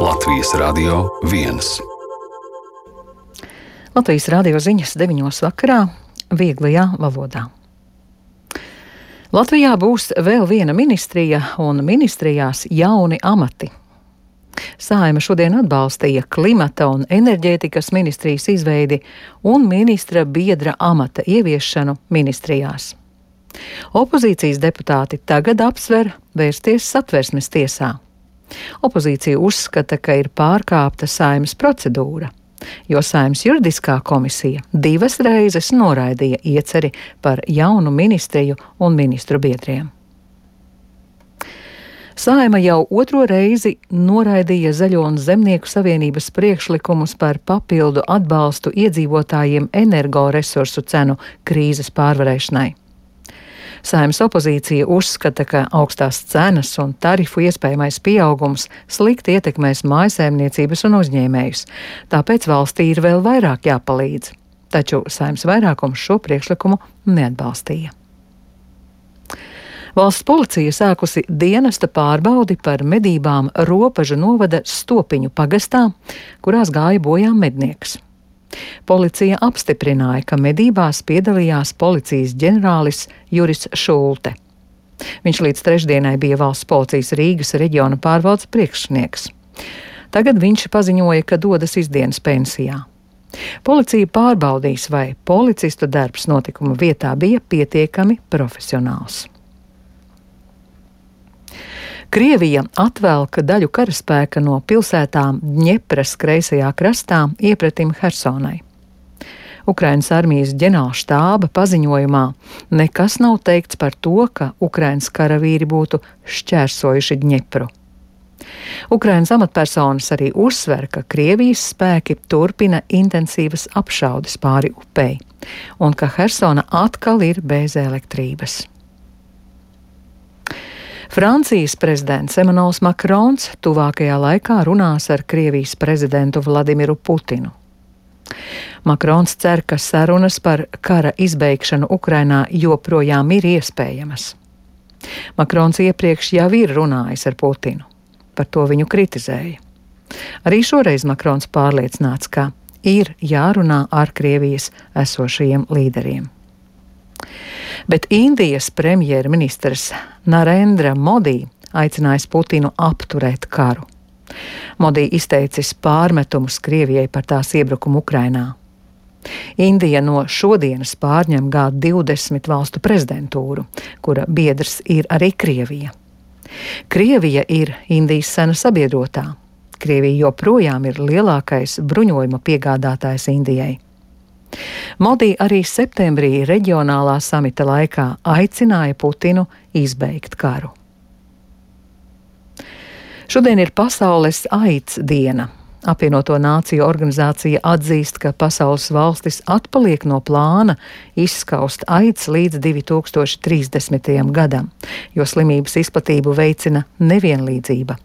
Latvijas Radio 1. Latvijas radio ziņas 9. vakarā vieglajā valodā. Latvijā būs vēl viena ministrija un ministrijās jauni amati. Saeima šodien atbalstīja klimata un enerģētikas ministrijas izveidi un ministra biedra amata ieviešanu ministrijās. Opozīcijas deputāti tagad apsver vērsties Satversmes tiesā. Opozīcija uzskata, ka ir pārkāpta Saeimas procedūra, jo Saeimas juridiskā komisija 2 reizes noraidīja ieceri par jaunu ministriju un ministru biedriem. Saeima jau 2. reizi noraidīja Zaļo un Zemnieku savienības priekšlikumus par papildu atbalstu iedzīvotājiem energoresursu cenu krīzes pārvarēšanai. Saeimas opozīcija uzskata, ka augstās cenas un tarifu iespējamais pieaugums slikti ietekmēs mājsaimniecības un uzņēmējus, tāpēc valstī ir vēl vairāk jāpalīdz, taču Saeimas vairākums šo priekšlikumu neatbalstīja. Valsts policija sākusi dienesta pārbaudi par medībām Ropažu novada Stopiņu pagastā, kurās gāja bojā mednieks. Policija apstiprināja, ka medībās piedalījās policijas ģenerālis Juris Šulte. Viņš līdz trešdienai bija valsts policijas Rīgas reģiona pārvaldes priekšnieks. Tagad viņš paziņoja, ka dodas izdienas pensijā. Policija pārbaudīs, vai policistu darbs notikuma vietā bija pietiekami profesionāls. Krievija atvelka daļu karaspēka no pilsētām Dņepras kreisajā krastā iepretim Hersonai. Ukrainas armijas ģenerālštāba paziņojumā nekas nav teikts par to, ka Ukrainas karavīri būtu šķērsojuši Dņepru. Ukrainas amatpersonas arī uzsver, ka Krievijas spēki turpina intensīvas apšaudes pāri upei un ka Hersona atkal ir bez elektrības. Francijas prezidents Emmanuels Makrons tuvākajā laikā runās ar Krievijas prezidentu Vladimiru Putinu. Makrons cer, ka sarunas par kara izbeigšanu Ukrainā joprojām ir iespējamas. Makrons iepriekš jau ir runājis ar Putinu. Par to viņu kritizēja. Arī šoreiz Makrons pārliecināts, ka ir jārunā ar Krievijas esošajiem līderiem. Bet Indijas premjerministrs Narendra Modi aicinājis Putinu apturēt karu. Modi izteicis pārmetumus Krievijai par tās iebrukumu Ukrainā. Indija no šodienas pārņem G20 valstu prezidentūru, kura biedrs ir arī Krievija. Krievija ir Indijas sena sabiedrotā. Krievija joprojām ir lielākais bruņojuma piegādātājs Indijai. Modi arī septembrī reģionālā samita laikā aicināja Putinu izbeigt karu. Šodien ir Pasaules AIDS diena. Apvienoto Nāciju organizācija atzīst, ka pasaules valstis atpaliek no plāna izskaust AIDS līdz 2030. gadam, jo slimības izplatību veicina nevienlīdzība.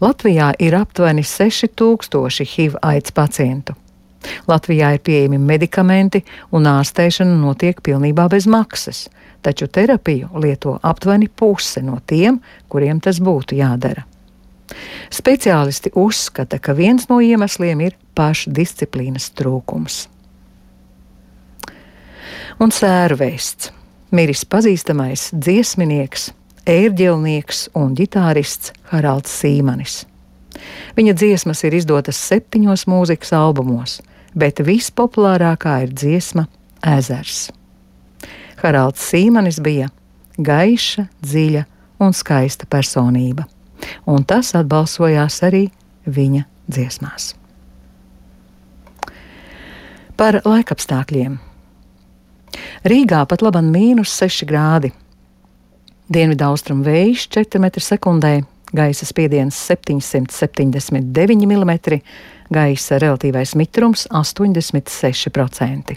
Latvijā ir aptuveni 6000 HIV AIDS pacientu. Latvijā ir pieejami medikamenti un ārstēšana notiek pilnībā bez maksas, taču terapiju lieto aptuveni puse no tiem, kuriem tas būtu jādara. Speciālisti uzskata, ka viens no iemesliem ir pašdisciplīnas trūkums. Un sēru vēsts. Miris pazīstamais dziesminieks, ērģelnieks un ģitārists Haralds Sīmanis. Viņa dziesmas ir izdotas 7 mūzikas albumos, bet vispopulārākā ir dziesma Ezers. Haralds Sīmanis bija gaiša, dziļa un skaista personība, un tas atbalsojās arī viņa dziesmās. Par laikapstākļiem. Rīgā pat laban -6 grādi. Dienvidaustrumu vējš 4 m/sekundē, gaisa spiediens 779 mm, gaisa relatīvais mitrums 86%.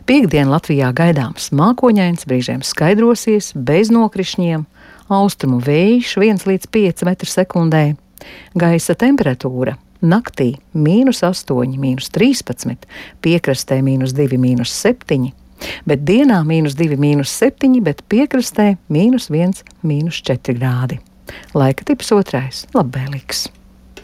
Piektdien Latvijā gaidāms mākoņains, brīžiem skaidrosies, bez nokrišņiem, austrumu vējš 1 līdz 5 m/sekundē, gaisa temperatūra naktī -8, -13, piekrastē -2, -7, bet dienā -2, -7, bet piekrastē -1, -4 grādi. Laika tips 2. labvēlīgs.